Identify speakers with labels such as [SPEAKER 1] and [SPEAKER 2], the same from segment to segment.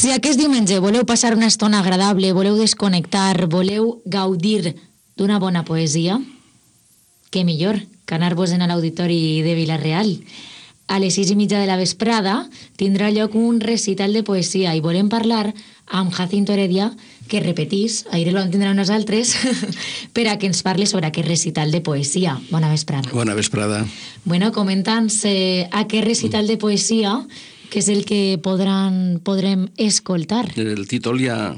[SPEAKER 1] Si aquest diumenge voleu passar una estona agradable, voleu desconnectar, voleu gaudir d'una bona poesia, què millor que anar-vos-en a l'Auditori de Vila-real. A les 6:30 de la vesprada tindrà lloc un recital de poesia i volem parlar amb Jacinto Heredia, que repetís, ahir el vam tindre amb nosaltres, per a que ens parli sobre aquest recital de poesia. Bona vesprada.
[SPEAKER 2] Bona vesprada.
[SPEAKER 1] Bueno, comenta'ns aquest recital de poesia, que és el que podrem escoltar.
[SPEAKER 2] El títol ja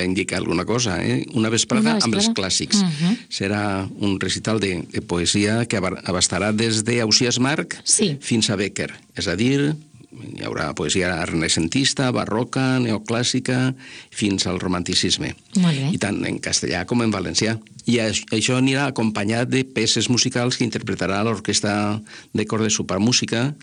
[SPEAKER 2] indica alguna cosa, Una vesprada amb els clàssics. Serà un recital de poesia que abastarà des d'Ausiàs Marc fins a Bécquer. És a dir, hi haurà poesia renaixentista, barroca, neoclàssica, fins al romanticisme.
[SPEAKER 1] Molt bé.
[SPEAKER 2] I tant en castellà com en valencià. I això anirà acompanyat de peces musicals que interpretarà l'Orquestra de Cor de Supramúsica,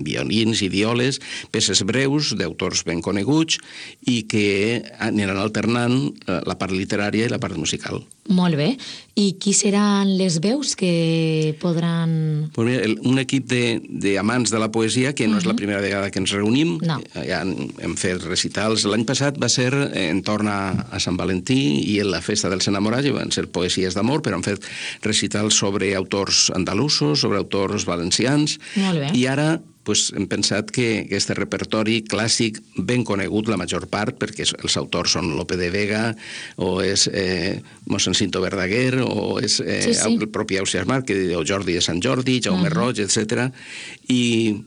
[SPEAKER 2] violins i violes, peces breus d'autors ben coneguts i que aniran alternant la part literària i la part musical.
[SPEAKER 1] Molt bé. I qui seran les veus que podran...
[SPEAKER 2] Pues mira, un equip d'amants de la poesia, que no és la primera vegada que ens reunim.
[SPEAKER 1] No.
[SPEAKER 2] Ja hem fet recitals. L'any passat va ser entorn a Sant Valentí i en la festa dels enamorats, van ser poesies d'amor, però han fet recitals sobre autors andalusos, sobre autors valencians.
[SPEAKER 1] Molt bé.
[SPEAKER 2] I ara hem pensat que aquest repertori clàssic, ben conegut la major part, perquè els autors són Lope de Vega, o és mossèn Cinto Verdaguer, o és el propi Ausiàs Marc, o Jordi de Sant Jordi, Jaume Roig, etc. I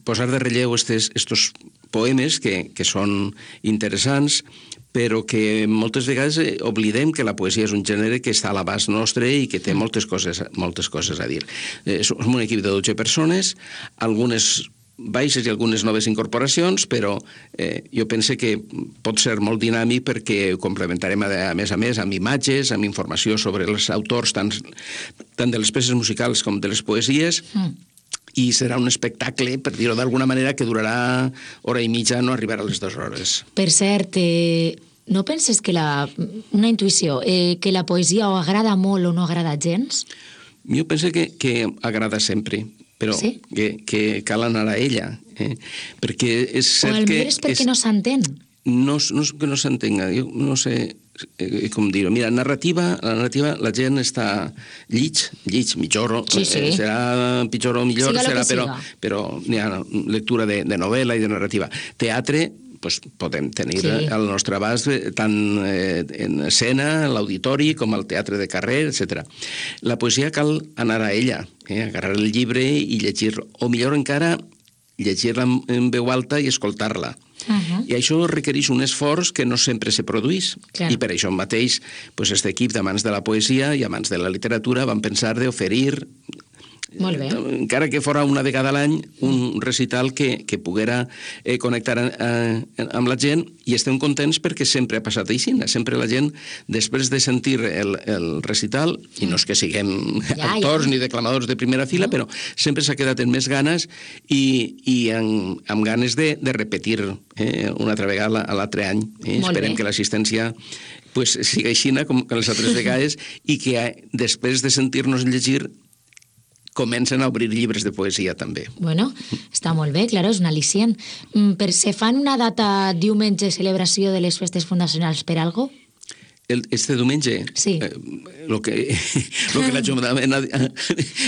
[SPEAKER 2] posar de relleu estos poemes que són interessants, però que moltes vegades oblidem que la poesia és un gènere que està a l'abast nostre i que té moltes coses a dir. Som un equip de 12 persones, algunes baixes i algunes noves incorporacions, però jo penso que pot ser molt dinàmic perquè ho complementarem a més amb imatges, amb informació sobre els autors, tant de les peces musicals com de les poesies, i serà un espectacle, per dir-ho d'alguna manera, que durarà hora i mitja, no arribarà a les 2 hores.
[SPEAKER 1] Per cert, no penses que una intuïció, que la poesia o agrada molt o no agrada gens?
[SPEAKER 2] Jo penso que agrada sempre, però que cal anar a ella. Perquè és cert que...
[SPEAKER 1] O és perquè no s'entén.
[SPEAKER 2] No és que no s'entenga, jo no sé com dir-ho. Mira, la narrativa, la gent està lleig, mitjor, serà pitjor o millor, però n'hi ha lectura de novel·la i de narrativa. Teatre, podem tenir al nostre abast tant en escena, l'auditori, com al teatre de carrer, etc. La poesia cal anar a ella, agarrar el llibre i llegir-lo, o millor encara, llegir-la en veu alta i escoltar-la. I això requereix un esforç que no sempre se produeix. I per això mateix aquest equip d'amants de la poesia i amants de la literatura van pensar d'oferir, encara que fora una vegada a l'any, un recital que poguera connectar amb la gent, i estem contents perquè sempre ha passat així. Sempre la gent, després de sentir el recital, i no és que siguem actors ni declamadors de primera fila, però sempre s'ha quedat amb més ganes i amb ganes de repetir una altra vegada a l'altre any. Esperem que l'assistència sigui així com les altres vegades i que després de sentir-nos llegir comencen a obrir llibres de poesia també.
[SPEAKER 1] Bueno, està molt bé, clar, és un al·licient. Se fan una data diumenge celebració de les festes fundacionals per algo?
[SPEAKER 2] Este diumenge?
[SPEAKER 1] Sí.
[SPEAKER 2] El que l'Ajuntament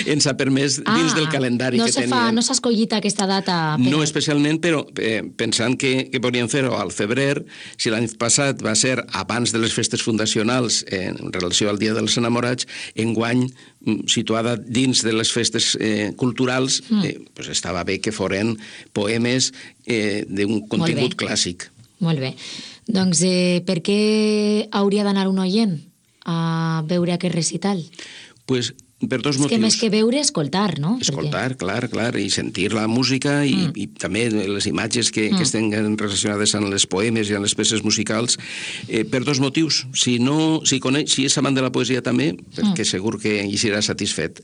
[SPEAKER 2] ens ha permès dins del calendari que teníem.
[SPEAKER 1] No s'ha escollit aquesta data?
[SPEAKER 2] No especialment, però pensant que podríem fer-ho al febrer, si l'any passat va ser abans de les festes fundacionals en relació al Dia dels Enamorats, enguany situada dins de les festes culturals, estava bé que foren poemes d'un contingut clàssic.
[SPEAKER 1] Molt bé. Doncs per què hauria d'anar un oient a veure aquest recital?
[SPEAKER 2] Pues per dos motius.
[SPEAKER 1] És que més que veure, escoltar, no?
[SPEAKER 2] Escoltar, clar, i sentir la música i també les imatges que estan relacionades amb els poemes i amb les peces musicals, per dos motius. Si és amant de la poesia també, perquè segur que hi serà satisfet,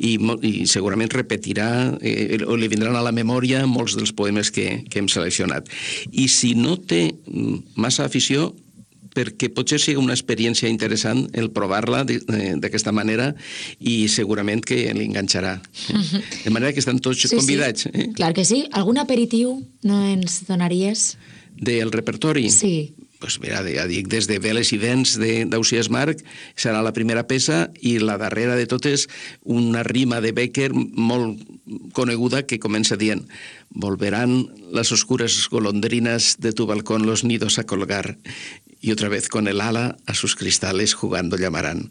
[SPEAKER 2] i segurament repetirà o li vindran a la memòria molts dels poemes que hem seleccionat. I si no té massa afició, perquè potser sigui una experiència interessant el provar-la d'aquesta manera i segurament que l'enganxarà. De manera que estan tots convidats.
[SPEAKER 1] Clar que sí. Algun aperitiu no ens donaries?
[SPEAKER 2] del repertori?
[SPEAKER 1] Sí.
[SPEAKER 2] Doncs mira, ja dic, des de Veles i Dents d'Ausiàs Marc serà la primera peça i la darrera de totes una rima de Becker molt coneguda que comença dient «Volverán las oscuras golondrinas de tu balcón los nidos a colgar y otra vez con el ala a sus cristales jugando llamarán».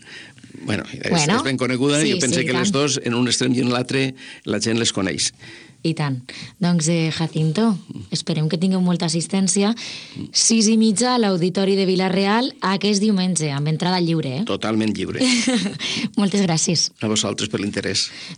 [SPEAKER 2] Bueno, és ben coneguda, sí, jo penso que les dos, en un extrem i en l'altre, la gent les coneix.
[SPEAKER 1] I tant. Doncs, Jacinto, esperem que tingueu molta assistència. 6:30 a l'Auditori de Vila-real aquest diumenge, amb entrada lliure.
[SPEAKER 2] Totalment lliure.
[SPEAKER 1] Moltes gràcies.
[SPEAKER 2] A vosaltres per l'interès.